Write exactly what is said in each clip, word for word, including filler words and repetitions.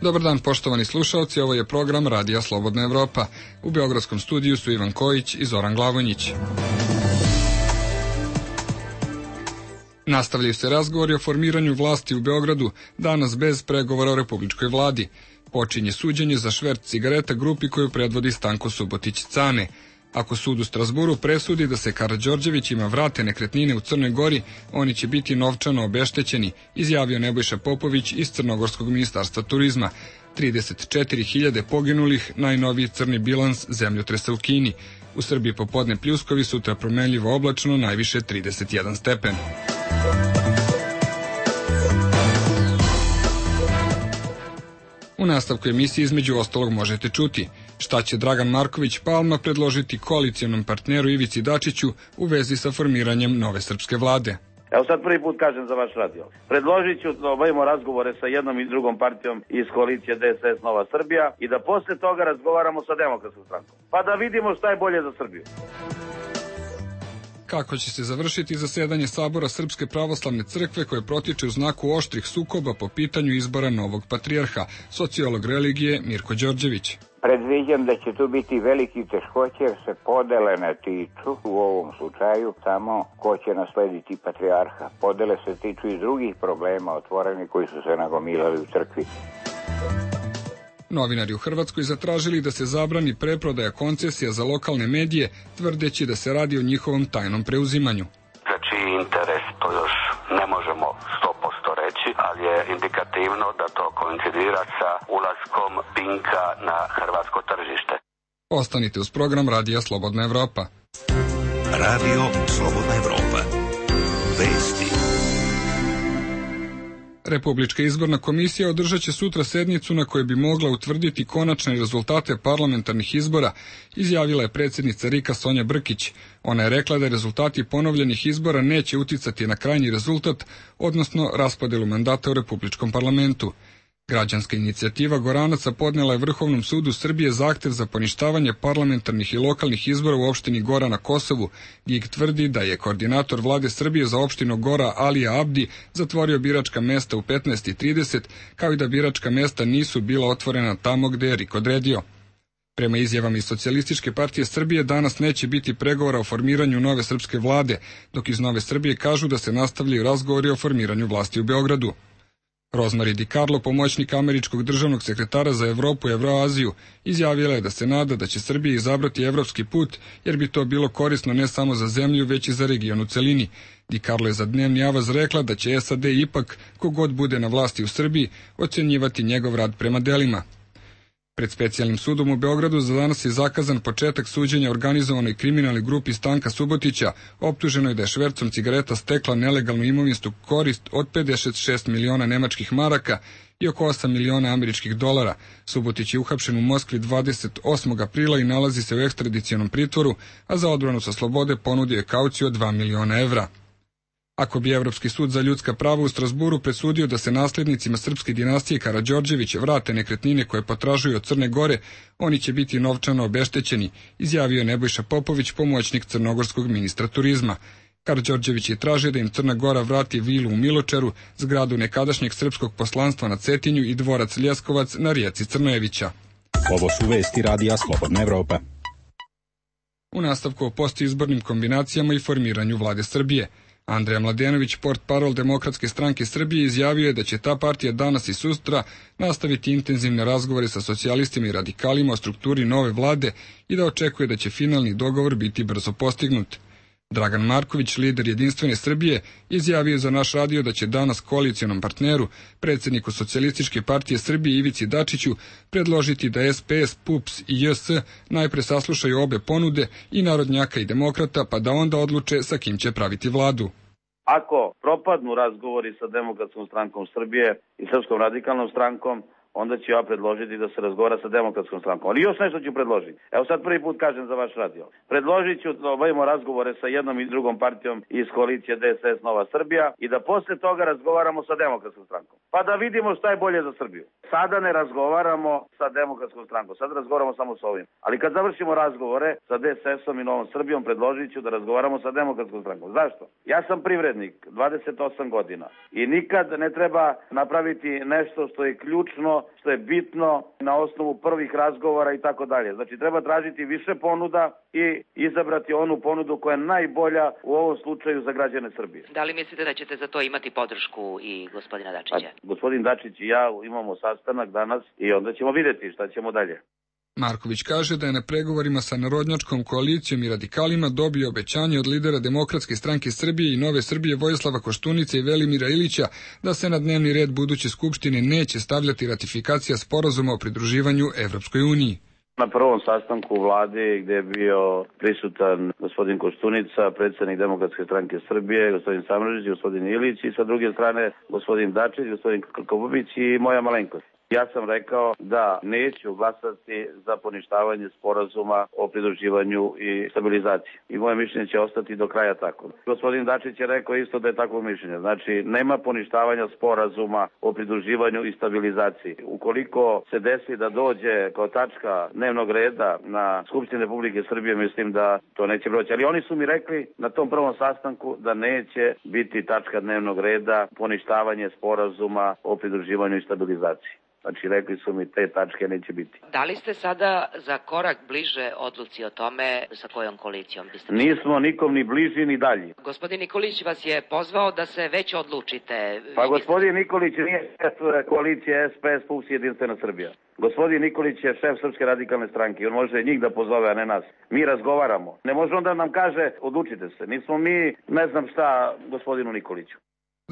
Dobar dan, poštovani slušalci, ovo je program Radija Slobodna Evropa. U beogradskom studiju su Ivan Kojić i Zoran Glavonjić. Nastavljaju se razgovori o formiranju vlasti u Beogradu, danas bez pregovora o republičkoj vladi. Počinje suđenje za šverc cigareta grupi koju predvodi Stanko Subotić-Cane. Ako sud u Strazburu presudi da se Karađorđevićima vrate nekretnine u Crnoj Gori, oni će biti novčano obeštećeni, izjavio Nebojša Popović iz Crnogorskog ministarstva turizma. trideset četiri hiljade poginulih, najnoviji crni bilans zemljotresa u Kini. U Srbiji popodne pljuskovi, sutra promenljivo oblačno, najviše trideset jedan stepen. U nastavku emisije između ostalog možete čuti šta će Dragan Marković Palma predložiti koalicijonom partneru Ivici Dačiću u vezi sa formiranjem nove srpske vlade. Evo sad prvi put kažem za vaš radio. Predložit ću da obavimo razgovore sa jednom i drugom partijom iz koalicije D S S Nova Srbija i da posle toga razgovaramo sa Demokratskom strankom. Pa da vidimo šta je bolje za Srbiju. Kako će se završiti zasedanje Sabora Srpske pravoslavne crkve koje protiče u znaku oštrih sukoba po pitanju izbora novog patrijarha, sociolog religije Mirko Đorđević. Predviđam da će tu biti veliki teškoće jer se podele ne tiču u ovom slučaju samo ko će naslediti patrijarha. Podele se tiču i drugih problema otvoreni koji su se nagomilali u crkvi. Novinari u Hrvatskoj zatražili da se zabrani preprodaja koncesija za lokalne medije, tvrdeći da se radi o njihovom tajnom preuzimanju. Za čiji interes to još ne možemo sto posto reći, ali je indikativno da to koincidira sa ulaskom Pinka na hrvatsko tržište. Ostanite uz program Radija Slobodna Evropa. Radio Slobodna Evropa. Vesti. Republička izborna komisija održat će sutra sednicu na kojoj bi mogla utvrditi konačne rezultate parlamentarnih izbora, izjavila je predsjednica RIK-a Sonja Brkić. Ona je rekla da rezultati ponovljenih izbora neće uticati na krajnji rezultat, odnosno raspodelu mandata u Republičkom parlamentu. Građanska inicijativa Goranaca podnela je Vrhovnom sudu Srbije zahtev za poništavanje parlamentarnih i lokalnih izbora u opštini Gora na Kosovu. G I G tvrdi da je koordinator vlade Srbije za opštinu Gora Alija Abdi zatvorio biračka mesta u petnaest i trideset, kao i da biračka mesta nisu bila otvorena tamo gde je R I K odredio. Prema izjavama iz Socijalističke partije Srbije danas neće biti pregovora o formiranju nove srpske vlade, dok iz Nove Srbije kažu da se nastavljaju razgovori o formiranju vlasti u Beogradu. Rozmari Di Carlo, pomoćnik američkog državnog sekretara za Evropu i Evroaziju, izjavila je da se nada da će Srbija izabrati evropski put, jer bi to bilo korisno ne samo za zemlju, već i za region u celini. Di Carlo je za Dnevni avaz rekla da će S A D ipak, kogod bude na vlasti u Srbiji, ocenjivati njegov rad prema delima. Pred specijalnim sudom u Beogradu za danas je zakazan početak suđenja organizovanoj kriminalnoj grupi Stanka Subotića, optuženoj da je švercom cigareta stekla nelegalnu imovinsku korist od pedeset šest miliona nemačkih maraka i oko osam miliona američkih dolara. Subotić je uhapšen u Moskvi dvadeset osmog aprila i nalazi se u ekstradicionom pritvoru, a za odbranu sa slobode ponudio je kauciju od dva miliona evra. Ako bi Evropski sud za ljudska prava u Strazburu presudio da se nasljednicima srpske dinastije Karađorđević vrate nekretnine koje potražuju od Crne Gore, oni će biti novčano obeštećeni, izjavio Nebojša Popović, pomoćnik crnogorskog ministra turizma. Karađorđević je tražio da im Crna Gora vrati vilu u Miločaru, zgradu nekadašnjeg srpskog poslanstva na Cetinju i dvorac Ljeskovac na rijeci Crnojevića. Ovo su vesti Radija Slobodna Evropa. U nastavku o postizbornim kombinacijama i formiranju vlade Srbije. Andreja Mladenović, portparol Demokratske stranke Srbije, izjavio je da će ta partija danas i sutra nastaviti intenzivne razgovore sa socijalistima i radikalima o strukturi nove vlade i da očekuje da će finalni dogovor biti brzo postignut. Dragan Marković, lider Jedinstvene Srbije, izjavio za naš radio da će danas koalicijonom partneru, predsjedniku Socijalističke partije Srbije Ivici Dačiću, predložiti da S P S, P U P S i J S najpre saslušaju obe ponude, i narodnjaka i demokrata, pa da onda odluče sa kim će praviti vladu. Ako propadnu razgovori sa Demokratskom strankom Srbije i Srpskom radikalnom strankom, onda ću ja predložiti da se razgovara sa Demokratskom strankom. Ali još nešto ću predložiti. Evo sad prvi put kažem za vaš radio. Predložit ću da obavimo razgovore sa jednom i drugom partijom iz koalicije D S S Nova Srbija i da posle toga razgovaramo sa Demokratskom strankom. Pa da vidimo šta je bolje za Srbiju. Sada ne razgovaramo sa Demokratskom strankom, sad razgovaramo samo sa ovim. Ali kad završimo razgovore sa D S S-om i Novom Srbijom, predložit ću da razgovaramo sa Demokratskom strankom. Zašto? Ja sam privrednik, dvadeset osam godina, i nikad ne treba napraviti nešto što je ključno što je bitno na osnovu prvih razgovora i tako dalje. Znači treba tražiti više ponuda i izabrati onu ponudu koja je najbolja u ovom slučaju za građane Srbije. Da li mislite da ćete za to imati podršku i gospodina Dačića? A, gospodin Dačić i ja imamo sastanak danas i onda ćemo vidjeti šta ćemo dalje. Marković kaže da je na pregovorima sa narodnjačkom koalicijom i radikalima dobio obećanje od lidera Demokratske stranke Srbije i Nove Srbije Vojislava Koštunice i Velimira Ilića da se na dnevni red buduće skupštine neće stavljati ratifikacija sporazuma o pridruživanju Evropskoj uniji. Na prvom sastanku vlade gdje je bio prisutan gospodin Koštunica, predsjednik Demokratske stranke Srbije, gospodin Samardžić, gospodin Ilić i sa druge strane gospodin Dačić, gospodin Krkobabić i moja malenkost. Ja sam rekao da neću glasati za poništavanje sporazuma o pridruživanju i stabilizaciji. I moje mišljenje će ostati do kraja tako. Gospodin Dačić je rekao isto da je takvo mišljenje. Znači, nema poništavanja sporazuma o pridruživanju i stabilizaciji. Ukoliko se desi da dođe kao tačka dnevnog reda na Skupštini Republike Srbije, mislim da to neće proći. Ali oni su mi rekli na tom prvom sastanku da neće biti tačka dnevnog reda poništavanje sporazuma o pridruživanju i stabilizaciji. Znači, rekli su mi te tačke neće biti. Da li ste sada za korak bliže odluci o tome sa kojom koalicijom biste... Nismo nikom ni bliži ni dalji. Gospodin Nikolić vas je pozvao da se već odlučite. Pa gospodin Nikolić nije šef koalicije S P S P U S Jedinstvena Srbija. Gospodin Nikolić je šef Srpske radikalne stranke. On može njih da pozove, a ne nas. Mi razgovaramo. Ne može onda nam kaže odlučite se. Nismo mi ne znam šta gospodinu Nikoliću.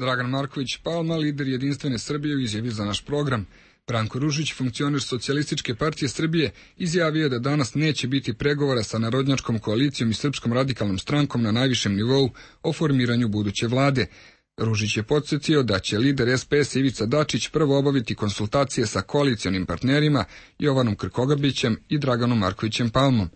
Dragan Marković Palma, lider Jedinstvene Srbije, u izjavi za naš program. Branko Ružić, funkcioner Socijalističke partije Srbije, izjavio je da danas neće biti pregovora sa narodnjačkom koalicijom i Srpskom radikalnom strankom na najvišem nivou o formiranju buduće vlade. Ružić je podsjetio da će lider S P S Ivica Dačić prvo obaviti konsultacije sa koalicionim partnerima Jovanom Krkobabićem i Draganom Markovićem Palmom.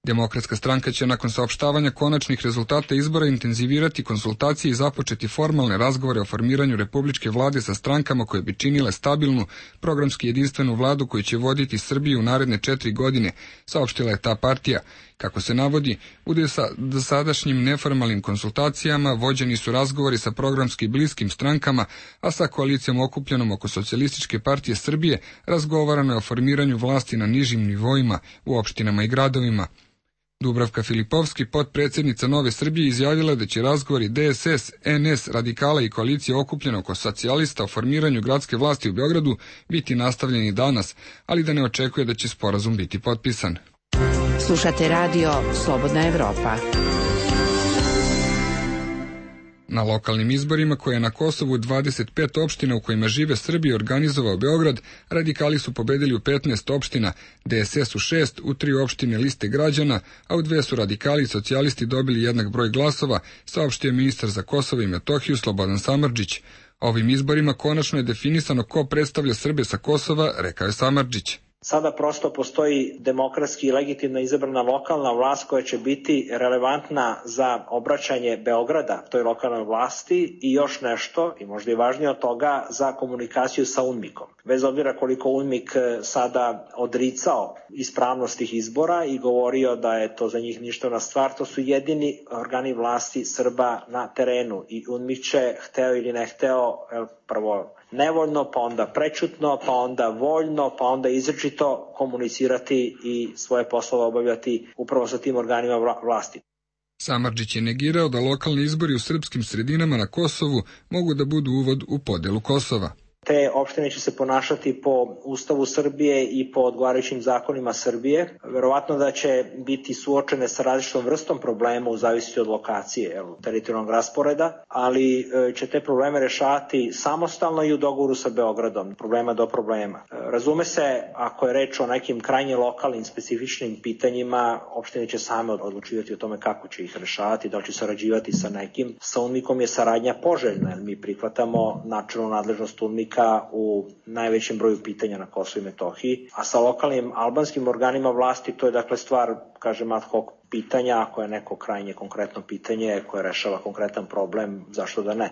Demokratska stranka će nakon saopštavanja konačnih rezultata izbora intenzivirati konsultacije i započeti formalne razgovore o formiranju republičke vlade sa strankama koje bi činile stabilnu, programski jedinstvenu vladu koju će voditi Srbiju u naredne četiri godine, saopštila je ta partija. Kako se navodi, u dosadašnjim neformalnim konsultacijama vođeni su razgovori sa programski bliskim strankama, a sa koalicijom okupljenom oko Socijalističke partije Srbije razgovarano je o formiranju vlasti na nižim nivoima u opštinama i gradovima. Dubravka Filipovski, potpredsjednica Nove Srbije, izjavila da će razgovori D S S, N S, radikala i koalicije okupljene oko socijalista o formiranju gradske vlasti u Beogradu biti nastavljeni danas, ali da ne očekuje da će sporazum biti potpisan. Slušate radio Slobodna Evropa. Na lokalnim izborima koje je na Kosovu dvadeset pet opština u kojima žive Srbi organizovao Beograd, radikali su pobedili u petnaest opština, D S S u šest, u tri opštine liste građana, a u dve su radikali i socijalisti dobili jednak broj glasova, saopštio ministar za Kosovo i Metohiju Slobodan Samardžić. Ovim izborima konačno je definisano ko predstavlja Srbe sa Kosova, rekao je Samardžić. Sada prosto postoji demokratski i legitimno izabrana lokalna vlast koja će biti relevantna za obraćanje Beograda toj lokalnoj vlasti i još nešto, i možda i važnije od toga, za komunikaciju sa UNMIK-om. Bez obzira koliko UNMIK sada odricao ispravnost tih izbora i govorio da je to za njih ništavna stvar, to su jedini organi vlasti Srba na terenu i UNMIK će, hteo ili ne hteo, prvo nevoljno, pa onda prečutno, pa onda voljno, pa onda izričito komunicirati i svoje poslove obavljati upravo sa tim organima vlasti. Samardžić je negirao da lokalni izbori u srpskim sredinama na Kosovu mogu da budu uvod u podelu Kosova. Te opštine će se ponašati po Ustavu Srbije i po odgovarajućim zakonima Srbije. Verovatno da će biti suočene sa različitom vrstom problema u zavisnosti od lokacije, teritorijalnog rasporeda, ali će te probleme rešavati samostalno i u dogovoru sa Beogradom, problema do problema. Razume se, ako je reč o nekim krajnje lokalnim specifičnim pitanjima, opštine će same odlučivati o tome kako će ih rešavati, da li će sarađivati sa nekim. Sa UNMIK-om je saradnja poželjna, jer mi prihvatamo načelnu nadležnost UNMIK u najvećem broju pitanja na Kosovu i Metohiji, a sa lokalnim albanskim organima vlasti to je dakle stvar, kažem, ad hoc pitanja, ako je neko krajnje konkretno pitanje koje rešava konkretan problem, zašto da ne?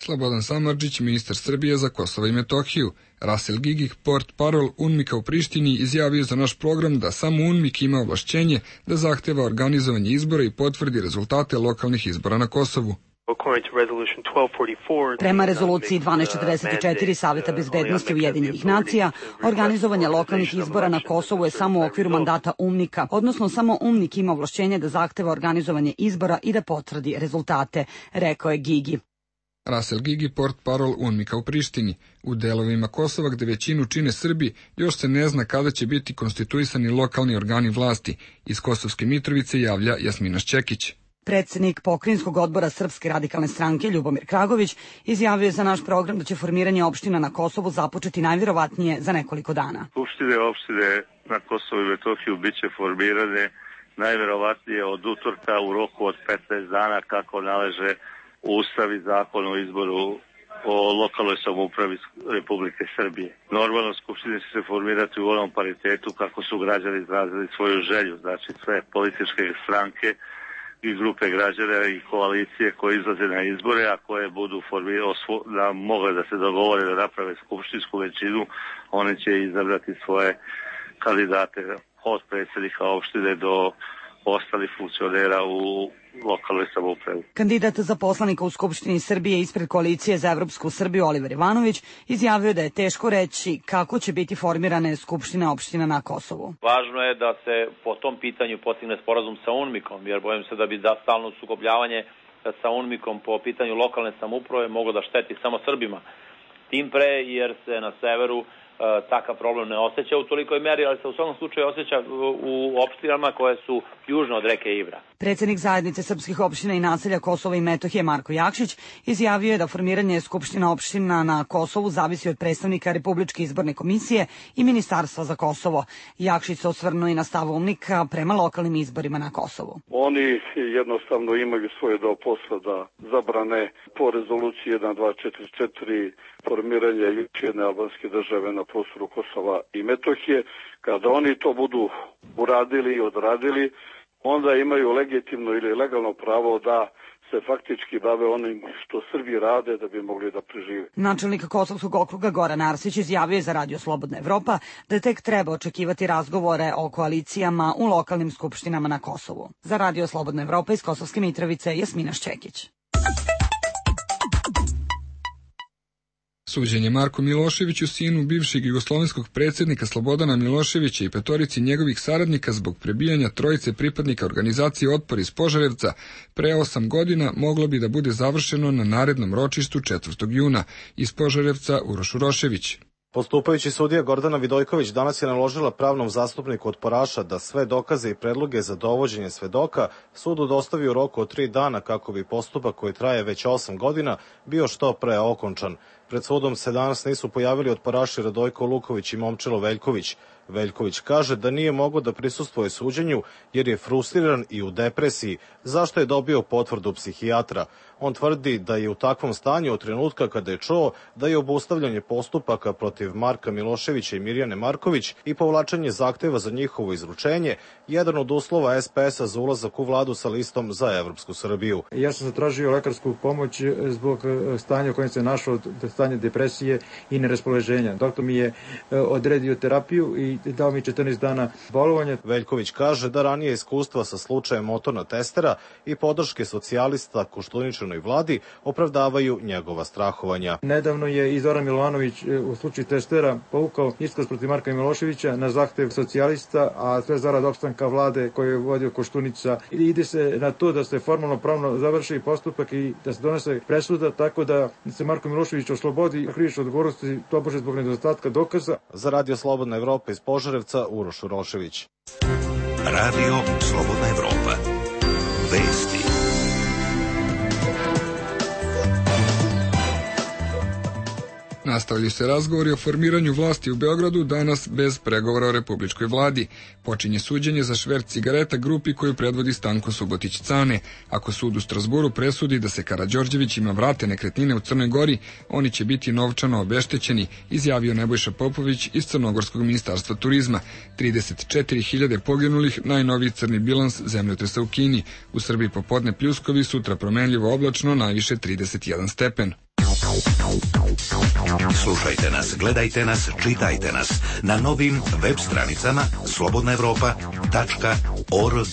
Slobodan Samardžić, ministar Srbije za Kosovo i Metohiju. Rasel Gigih, port parol UNMIK-a u Prištini, izjavio za naš program da samo UNMIK ima ovlašćenje da zahteva organizovanje izbora i potvrdi rezultate lokalnih izbora na Kosovu. Prema rezoluciji dvanaest četrdeset četiri Saveta bezbednosti Ujedinjenih nacija, organizovanje lokalnih izbora na Kosovu je samo u okviru mandata UNMIK-a, odnosno samo UNMIK ima ovlašćenje da zahteva organizovanje izbora i da potvrdi rezultate, rekao je Gigi. Rasel Gigi, portparol UNMIK-a u Prištini. U delovima Kosova, gde većinu čine Srbi, još se ne zna kada će biti konstituisani lokalni organi vlasti. Iz Kosovske Mitrovice javlja Jasmina Šćekić. Predsednik Pokrajinskog odbora Srpske radikalne stranke Ljubomir Kragović izjavio je za naš program da će formiranje opština na Kosovu započeti najvjerovatnije za nekoliko dana. Skupštine opštine na Kosovu i Metohiju biće formirane najvjerovatnije od utorka u roku od petnaest dana kako naleže Ustav i zakon o izboru o lokalnoj samoupravi Republike Srbije. Normalno skupštine će se formirati u onom paritetu kako su građani izrazili svoju želju, znači sve političke stranke i grupe građana i koalicije koje izlaze na izbore, a koje budu da mogle da se dogovore da naprave skupštinsku većinu, one će izabrati svoje kandidate od predsjednika opštine do ostalih funkcionera u lokalnoj samoupravi. Kandidat za poslanika u Skupštini Srbije ispred koalicije za Evropsku Srbiju Oliver Ivanović izjavio da je teško reći kako će biti formirane skupštine opština na Kosovu. Važno je da se po tom pitanju postigne sporazum sa UNMIK-om, jer bojim se da bi da stalno sukobljavanje sa UNMIK-om po pitanju lokalne samouprave moglo da šteti samo Srbima. Tim pre jer se na severu takav problem ne osjeća u tolikoj meri, ali se u svakom slučaju osjeća u opštinama koje su južno od reke Ibra. Predsjednik zajednice srpskih opština i naselja Kosova i Metohije Marko Jakšić izjavio je da formiranje skupština opština na Kosovu zavisi od predstavnika Republičke izborne komisije i Ministarstva za Kosovo. Jakšić se osvrnuo i na stav UNMIK-a prema lokalnim izborima na Kosovu. Oni jednostavno imaju svoje deo posla da zabrane po rezoluciji jedan dva četiri četiri formiranje još jedne albanske države na prostoru Kosova i Metohije. Kada oni to budu uradili i odradili, onda imaju legitimno ili legalno pravo da se faktički bave onim što Srbi rade da bi mogli da prežive. Načelnik Kosovskog okruga Goran Arsić izjavio je za Radio Slobodna Evropa da tek treba očekivati razgovore o koalicijama u lokalnim skupštinama na Kosovu. Za Radio Slobodna Evropa iz Kosovske Mitrovice Jasmina Šćekić. Suđenje Marku Miloševiću, sinu bivšeg jugoslovenskog predsjednika Slobodana Miloševića i petorici njegovih saradnika zbog prebijanja trojice pripadnika organizacije Otpor iz Požarevca pre osam godina, moglo bi da bude završeno na narednom ročištu četvrtog juna. Iz Požarevca Uroš Urošević. Postupajući sudija Gordana Vidojković danas je naložila pravnom zastupniku otporaša da sve dokaze i predloge za dovođenje svedoka sudu dostavi u roku od tri dana kako bi postupak koji traje već osam godina bio što pre okončan. Pred sudom se danas nisu pojavili otporaši Radojko Luković i Momčilo Veljković. Veljković kaže da nije mogao da prisustvuje suđenju jer je frustriran i u depresiji, zašto je dobio potvrdu psihijatra. On tvrdi da je u takvom stanju od trenutka kada je čuo da je obustavljanje postupaka protiv Marka Miloševića i Mirjane Marković i povlačenje zahteva za njihovo izručenje jedan od uslova es pe es-a za ulazak u vladu sa listom za Evropsku Srbiju. Ja sam zatražio lekarsku pomoć zbog stanja u kojem se našao, stanje depresije i neraspoloženja. Doktor mi je odredio terapiju i dao mi četrnaest dana bolovanja. Veljković kaže da ranije iskustva sa slučajem motorna testera i podrške socijalista Koštuničanoj vladi opravdavaju njegova strahovanja. Nedavno je i Zoran Milovanović u slučaju testera povukao iskaz protiv Marka Miloševića na zahtev socijalista, a sve zarad opstanka vlade koju je vodio Koštunica. Ide se na to da se formalno pravno završi postupak i da se donese presuda tako da se Marko Milošević oslobodi krivične odgovornosti tobože zbog nedostatka dokaza. Za Radio Slobodna Evropa iz Požarevca Uroš Urošević. Radio Slobodna Evropa. Vesti. Nastavljaju se razgovori o formiranju vlasti u Beogradu danas bez pregovora o republičkoj vladi. Počinje suđenje za šverc cigareta grupi koju predvodi Stanko Subotić Cane. Ako sud u Strasburu presudi da se Karađorđevićima vrate nekretnine u Crnoj Gori, oni će biti novčano obeštećeni, izjavio Nebojša Popović iz Crnogorskog ministarstva turizma. trideset četiri hiljade poginulih, najnoviji crni bilans zemljotresa u Kini. U Srbiji popodne pljuskovi, sutra promenljivo oblačno, najviše trideset jedan stepen. Slušajte nas, gledajte nas, čitajte nas na novim web stranicama slobodna evropa tačka org.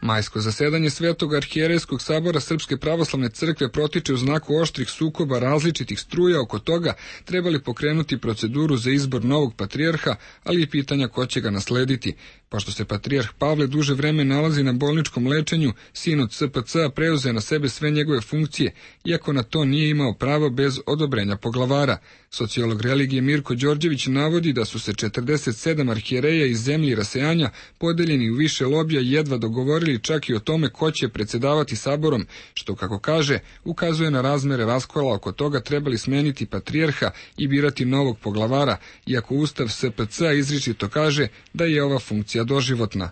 Majsko zasedanje Svetog arhijerejskog sabora Srpske pravoslavne crkve protiče u znaku oštrih sukoba različitih struja oko toga treba li pokrenuti proceduru za izbor novog patrijarha, ali i pitanja ko će ga naslediti. Pošto se patrijarh Pavle duže vreme nalazi na bolničkom lečenju, sinod S P C-a preuzeo na sebe sve njegove funkcije, iako na to nije imao pravo bez odobrenja poglavara. Sociolog religije Mirko Đorđević navodi da su se četrdeset sedam arhijereja iz zemlji rasejanja, podeljeni u više lobija, jedva dogovorili čak i o tome ko će predsedavati saborom, što, kako kaže, ukazuje na razmere raskola oko toga trebali smeniti patrijarha i birati novog poglavara, iako Ustav S P C-a izričito kaže da je ova funkcija doživotna.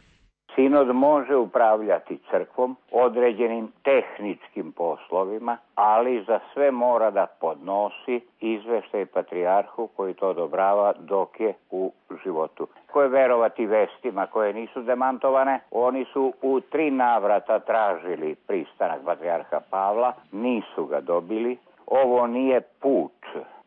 Sinod može upravljati crkvom određenim tehničkim poslovima, ali za sve mora da podnosi izveštaj patrijarhu koji to odobrava dok je u životu. Ko je verovati vestima koje nisu demantovane, oni su u tri navrata tražili pristanak patrijarha Pavla, nisu ga dobili. Ovo nije put,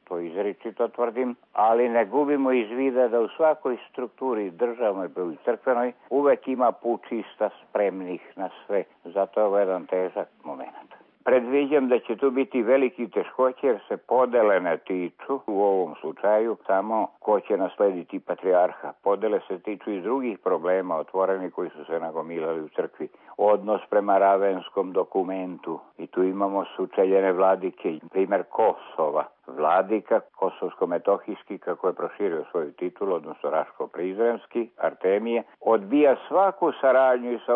to izričito tvrdim, ali ne gubimo iz vida da u svakoj strukturi državnoj i crkvenoj uvek ima pučista spremnih na sve. Zato je ovo jedan težak moment. Predviđam da će tu biti veliki teškoće jer se podele ne tiču u ovom slučaju samo ko će naslediti patrijarha. Podele se tiču i drugih problema otvoreni koji su se nagomilali u crkvi. Odnos prema Ravenskom dokumentu i tu imamo sučeljene vladike, primjer Kosova. Vladika kosovsko-metohijski, kako je proširio svoju titulu, odnosno Raško-Prizrenski, Artemije, odbija svaku saradnju i sa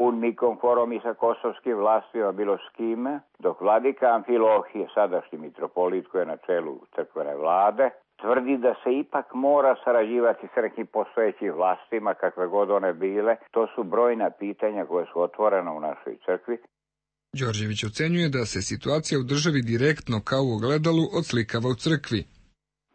UNMIK-om, forom i sa kosovskim vlastima, bilo s kime, dok vladika Amfilohije, sadašnji mitropolit koji je na čelu crkvene vlade, tvrdi da se ipak mora sarađivati s nekim postojećim vlastima, kakve god one bile. To su brojna pitanja koje su otvorena u našoj crkvi. Đorđević ocenjuje da se situacija u državi direktno kao u ogledalu odslikava u crkvi.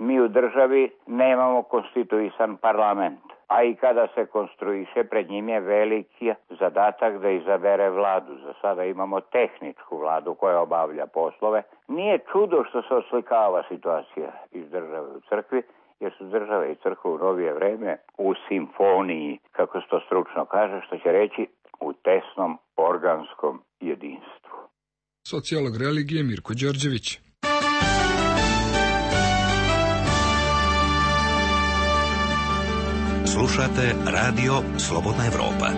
Mi u državi nemamo konstituisan parlament, a i kada se konstruiše, pred njim je veliki zadatak da izabere vladu. Za sada imamo tehničku vladu koja obavlja poslove. Nije čudo što se oslikava situacija iz države u crkvi, jer su države i crkva u novije vreme u simfoniji, kako se to stručno kaže, što će reći u tesnom organskom jedinstvu. Sociolog religije Mirko Đorđević. Slušate radio Slobodna Evropa.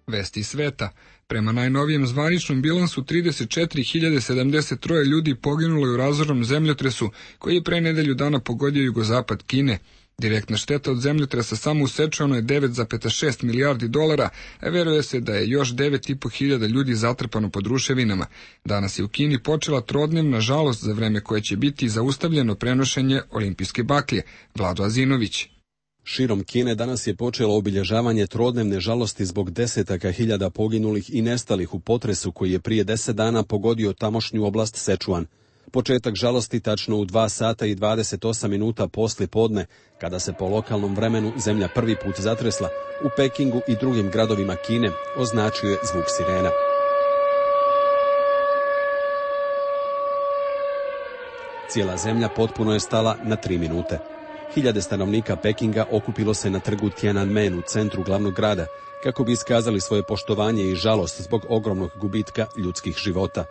Vesti sveta. Prema najnovijem zvaničnom bilansu trideset četiri hiljade sedamdeset tri ljudi poginulo je u razornom zemljotresu koji je pre nedelju dana pogodio jugozapad Kine. Direktna šteta od zemljotresa samo u Sečuanu je devet zarez šest milijardi dolara, a veruje se da je još devet i po hiljada ljudi zatrpano pod ruševinama. Danas je u Kini počela trodnevna žalost za vreme koje će biti zaustavljeno prenošenje olimpijske baklje. Vlado Azinović. Širom Kine danas je počelo obilježavanje trodnevne žalosti zbog desetaka hiljada poginulih i nestalih u potresu koji je prije deset dana pogodio tamošnju oblast Sečuan. Početak žalosti tačno u dva sata i dvadeset osam minuta poslije podne, kada se po lokalnom vremenu zemlja prvi put zatresla, u Pekingu i drugim gradovima Kine označio je zvuk sirena. Cijela zemlja potpuno je stala na tri minute. Hiljade stanovnika Pekinga okupilo se na trgu Tiananmen u centru glavnog grada, kako bi iskazali svoje poštovanje i žalost zbog ogromnog gubitka ljudskih života.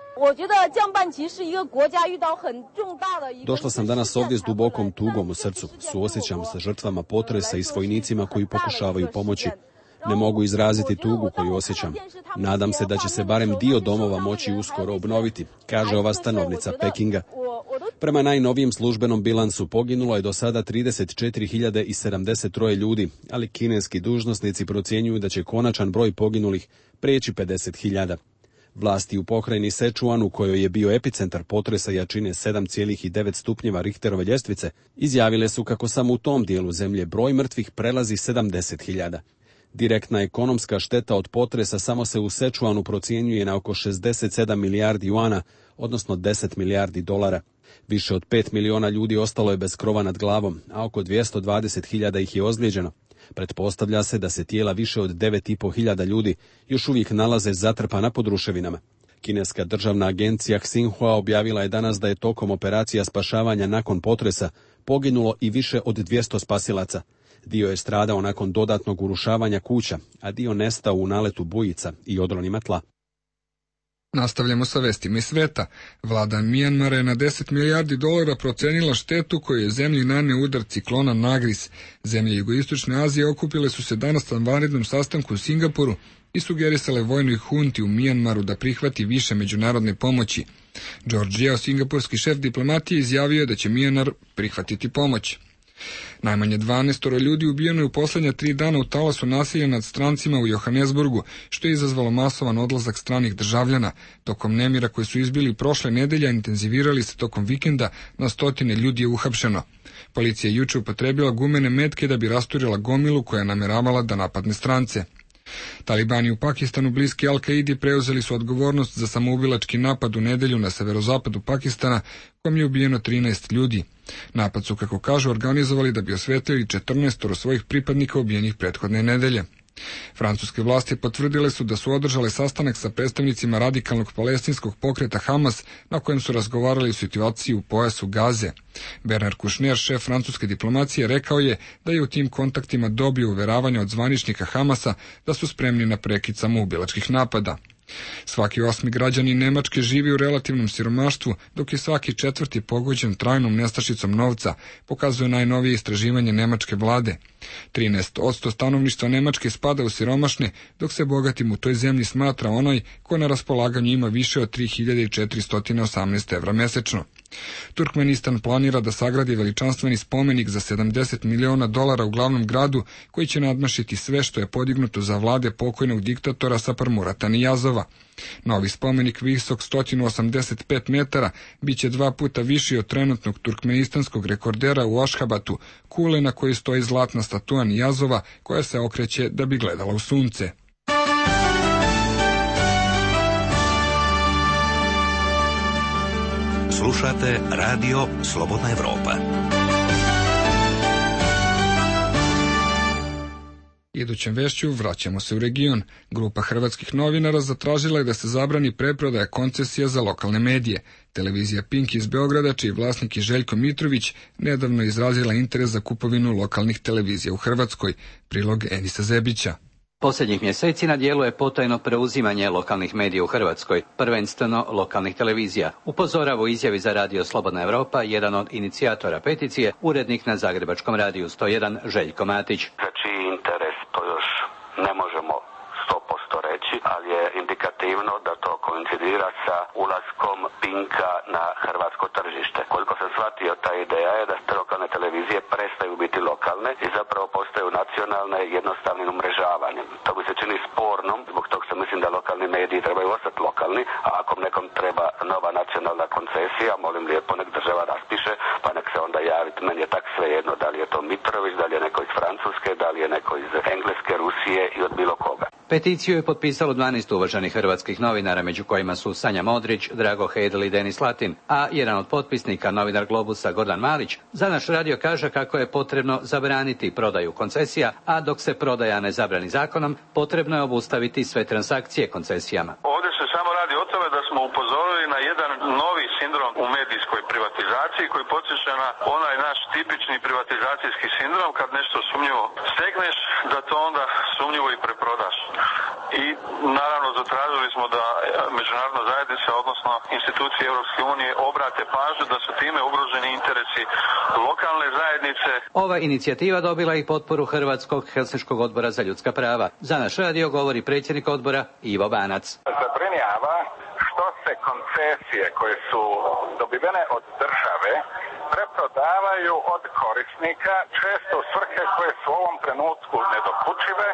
Došla sam danas ovdje s dubokom tugom u srcu. Suosjećam sa žrtvama potresa i s vojnicima koji pokušavaju pomoći. Ne mogu izraziti tugu koju osjećam. Nadam se da će se barem dio domova moći uskoro obnoviti, kaže ova stanovnica Pekinga. Prema najnovijem službenom bilansu poginulo je do sada trideset četiri hiljade sedamdeset tri ljudi, ali kineski dužnosnici procjenjuju da će konačan broj poginulih preći pedeset hiljada. Vlasti u pokrajini Sečuan, u kojoj je bio epicentar potresa jačine sedam zarez devet stupnjeva Richterove ljestvice, izjavile su kako samo u tom dijelu zemlje broj mrtvih prelazi sedamdeset hiljada. Direktna ekonomska šteta od potresa samo se u Sečuanu procjenjuje na oko šezdeset sedam milijardi juana, odnosno deset milijardi dolara. Više od pet miliona ljudi ostalo je bez krova nad glavom, a oko dvjesto dvadeset hiljada ih je ozlijeđeno. Pretpostavlja se da se tijela više od devet i po hiljada ljudi još uvijek nalaze zatrpana pod ruševinama. Kineska državna agencija Xinhua objavila je danas da je tokom operacija spašavanja nakon potresa poginulo i više od dvjesto spasilaca. Dio je stradao nakon dodatnog urušavanja kuća, a dio nestao u naletu bujica i odronima tla. Nastavljamo sa vestima iz sveta. Vlada Mijanmara je na deset milijardi dolara procenila štetu koju je zemlji naneo udar ciklona Nagris. Zemlje jugoistočne Azije okupile su se danas na vanrednom sastanku u Singapuru i sugerisale vojnoj hunti u Mijanmaru da prihvati više međunarodne pomoći. George Yeo, singapurski šef diplomatije, izjavio je da će Mijanmar prihvatiti pomoć. Najmanje dvanaestoro ljudi ubijeno je u posljednja tri dana u talasu nasilja nad strancima u Johannesburgu, što je izazvalo masovan odlazak stranih državljana. Tokom nemira koji su izbili prošle nedelje, intenzivirali se tokom vikenda, na stotine ljudi je uhapšeno. Policija je juče upotrebila gumene metke da bi rasturila gomilu koja je nameravala da napadne strance. Talibani u Pakistanu bliski Al-Kaidi preuzeli su odgovornost za samoubilački napad u nedelju na severozapadu Pakistana, kom je ubijeno trinaest ljudi. Napad su, kako kažu, organizovali da bi osvetlili četrnaestoro svojih pripadnika ubijenih prethodne nedelje. Francuske vlasti potvrdile su da su održale sastanak sa predstavnicima radikalnog palestinskog pokreta Hamas, na kojem su razgovarali o situaciji u pojasu Gaze. Bernard Kouchner, šef francuske diplomacije, rekao je da je u tim kontaktima dobio uveravanja od zvaničnika Hamasa da su spremni na prekid samoubilačkih napada. Svaki osmi građanin Nemačke živi u relativnom siromaštvu, dok je svaki četvrti pogođen trajnom nestašicom novca, pokazuje najnovije istraživanje nemačke vlade. trinaest posto stanovništva Nemačke spada u siromašne, dok se bogatim u toj zemlji smatra onaj ko na raspolaganju ima više od tri hiljade četiristo osamnaest evra mesečno. Turkmenistan planira da sagradi veličanstveni spomenik za sedamdeset miliona dolara u glavnom gradu, koji će nadmašiti sve što je podignuto za vlade pokojnog diktatora Saparmurata Niyazova. Novi spomenik, visok sto osamdeset pet metara, bit će dva puta viši od trenutnog turkmenistanskog rekordera u Ašhabatu, kule na kojoj stoji zlatna statua Niyazova koja se okreće da bi gledala u sunce. Slušate Radio Slobodna Evropa. Idućem vešću vraćamo se u region. Grupa hrvatskih novinara zatražila je da se zabrani preprodaja koncesija za lokalne medije. Televizija Pink iz Beograda, čiji vlasnik je Željko Mitrović, nedavno izrazila interes za kupovinu lokalnih televizija u Hrvatskoj. Prilog Enisa Zebića. Posljednjih mjeseci na dijelu je potajno preuzimanje lokalnih medija u Hrvatskoj, prvenstveno lokalnih televizija. Upozorava u izjavi za Radio Slobodna Evropa jedan od inicijatora peticije, urednik na Zagrebačkom radiju sto jedan Željko Matić. Za čiji interes to još ne možemo sto posto reći, ali je indikativno da to koincidira sa ulaskom Pinka na hrvatsko tržište. Koliko sam shvatio, ta ideja je da te lokalne televizije prestaju biti lokalne i zapravo postaju nacionalne jednostavnim umrežavanjem. To mi se čini spornom, zbog toga što mislim da lokalni mediji trebaju ostati lokalni, a ako nekom treba nova nacionalna koncesija, molim lijepo nek država raspiše, pa nek se onda javiti. Meni je tak svejedno da li je to Mitrović, da li je neko iz Francuske, da li je neko iz Engleske, Rusije i od bilo koga. Peticiju je potpisalo dvanaest uvaženih hrvatskih novinara, među kojima su Sanja Modrić, Drago Hedl i Denis Latin, a jedan od potpisnika, novinar Globusa Gordan Malić, za naš radio kaže kako je potrebno zabraniti prodaju koncesija, a dok se prodaja ne zabrani zakonom, potrebno je obustaviti sve transakcije koncesijama. Ovdje se samo radi o tome da smo upozorili na jedan novi sindrom u medijskoj privatizaciji koji podsjeća na onaj naš tipični privatizacijski sindrom, kad nešto sumnjivo stekneš, da to onda sumnjivo i preprodaš. I naravno zatražili smo da međunarodna zajednica, odnosno institucije Europske unije, obrate pažnju da su time ugroženi interesi lokalne zajednice. Ova inicijativa dobila i potporu Hrvatskog Helsinškog odbora za ljudska prava. Za naš radio govori predsjednik odbora Ivo Banac. Zabrinjava što se koncesije koje su dobivene od države preprodavaju od korisnika, često u svrhe koje su u ovom trenutku nedokučive,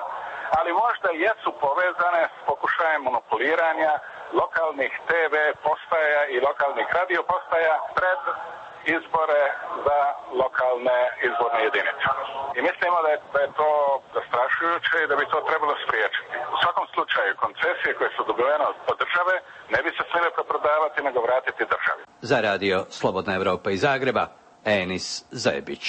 ali možda jesu povezane s pokušajem monopoliranja lokalnih te ve postaja i lokalnih radio postaja pred izbore za lokalne izborne jedinice. I mislimo da je, da je to zastrašujuće i da bi to trebalo spriječiti. U svakom slučaju, koncesije koje su dobivene od države ne bi se smjele preprodavati, nego vratiti državi. Za radio Slobodna Evropa iz Zagreba, Enis Zebić.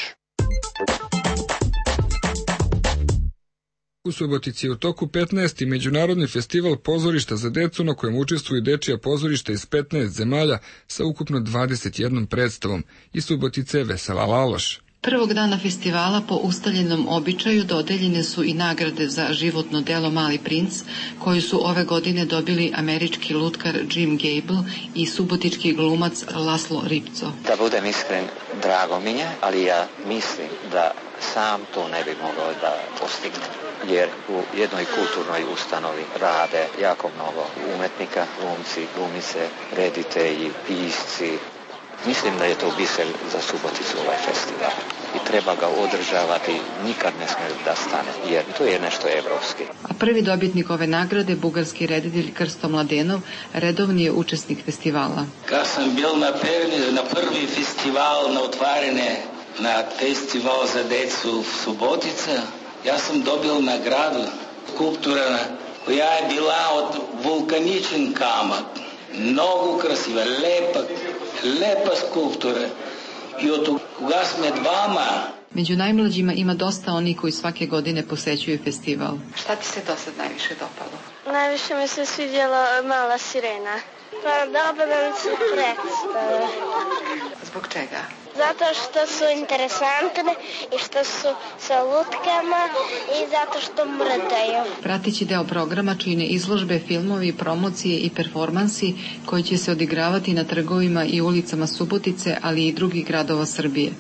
U Subotici je u toku petnaesti Međunarodni festival pozorišta za decu, na kojem učestvuju dečija pozorišta iz petnaest zemalja sa ukupno dvadeset jednom predstavom. Iz Subotice Vesela Laloš. Prvog dana festivala po ustaljenom običaju dodeljene su i nagrade za životno delo Mali princ, koju su ove godine dobili američki lutkar Jim Gable i subotički glumac Laslo Ripco. Da budem iskren, drago mi je, ali ja mislim da sam to ne bi mogao da postigne. Jer u jednoj kulturnoj ustanovi rade jako mnogo umetnika, glumci, glumice, reditelji, pisci. Mislim da je to biser za Suboticu ovaj festival i treba ga održavati, nikad ne smije da stane, jer to je nešto evropski. A prvi dobitnik ove nagrade, bugarski reditelj Krsto Mladenov, redovni je učesnik festivala. Kad sam bil na prvi, na prvi festival, na otvarene, na festival za decu Subotica, ja sam dobil nagradu skulptura koja je bila od vulkaničen kamen. Mnogo krasiva, lepa, lepa skulptura. I od koga sme dvama. Među najmlađima ima dosta onih koji svake godine posećuju festival. Šta ti se do sad najviše dopalo? Najviše mi se svidjela Mala sirena. Pa dobro nam se predstave. Zbog čega? Zato što su interesantne i što su sa lutkama i zato što mrdaju. Prateći deo programa čine izložbe, filmovi, promocije i performansi koji će se odigravati na trgovima i ulicama Subotice, ali i drugih gradova Srbije.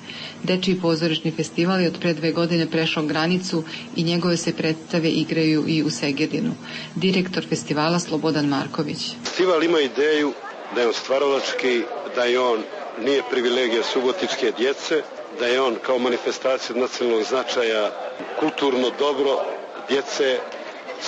Dečiji pozorišni festival je od pre dve godine prešao granicu i njegove se predstave igraju i u Segedinu. Direktor festivala Slobodan Marković. Festival ima ideju da je on stvaralački, da je on nije privilegija subotičke djece, da je on kao manifestacija nacionalnog značaja kulturno dobro djece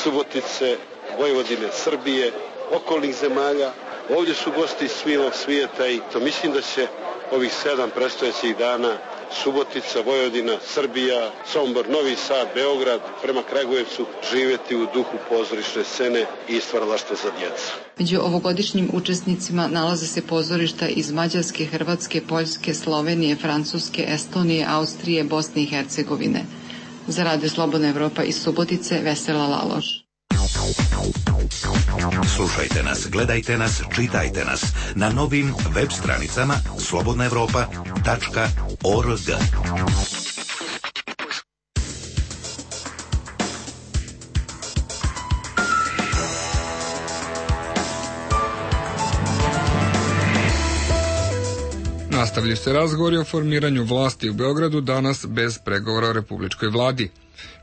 Subotice, Vojvodine, Srbije, okolnih zemalja. Ovdje su gosti svilog svijeta i to mislim da će ovih sedam predstojećih dana Subotica, Vojvodina, Srbija, Sombor, Novi Sad, Beograd, prema Kragujevcu živjeti u duhu pozorišne scene i stvaralaštva za djecu. Među ovogodišnjim učesnicima nalaze se pozorišta iz Mađarske, Hrvatske, Poljske, Slovenije, Francuske, Estonije, Austrije, Bosne i Hercegovine. Za Radio Slobodna Evropa iz Subotice, Vesela Laloš. Slušajte nas, gledajte nas, čitajte nas na novim web stranicama slobodna evropa tačka org. Nastavljaju se razgovori o formiranju vlasti u Beogradu danas bez pregovora o republičkoj vladi.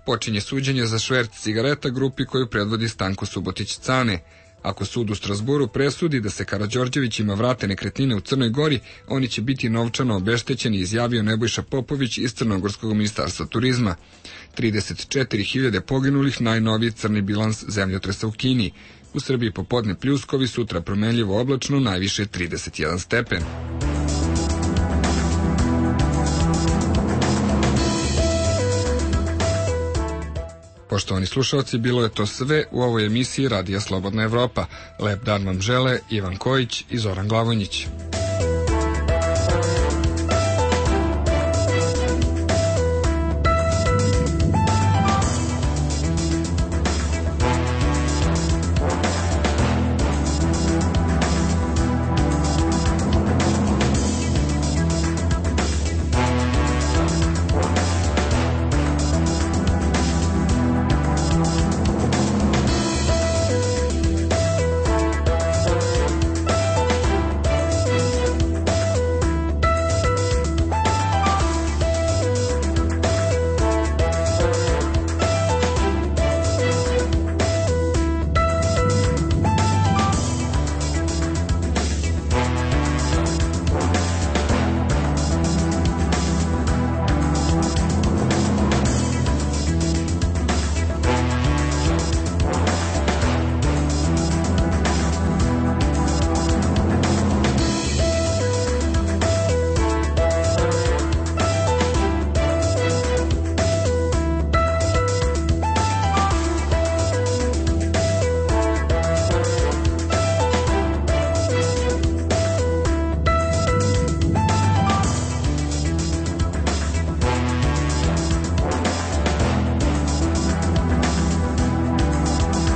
Počinje suđenje za šverc cigareta grupi koju predvodi Stanko Subotić-Cane. Ako sud u Strasburu presudi da se Karađorđevićima vrate nekretnine u Crnoj Gori, oni će biti novčano obeštećeni, izjavio Nebojša Popović iz Crnogorskog ministarstva turizma. trideset četiri hiljade poginulih, najnoviji crni bilans zemljotresa u Kini. U Srbiji popodne pljuskovi, sutra promenljivo oblačno, najviše trideset jedan stepen. Poštovani slušalci, bilo je to sve u ovoj emisiji Radija Slobodna Evropa. Lep dan vam žele Ivan Kojić i Zoran Glavonjić.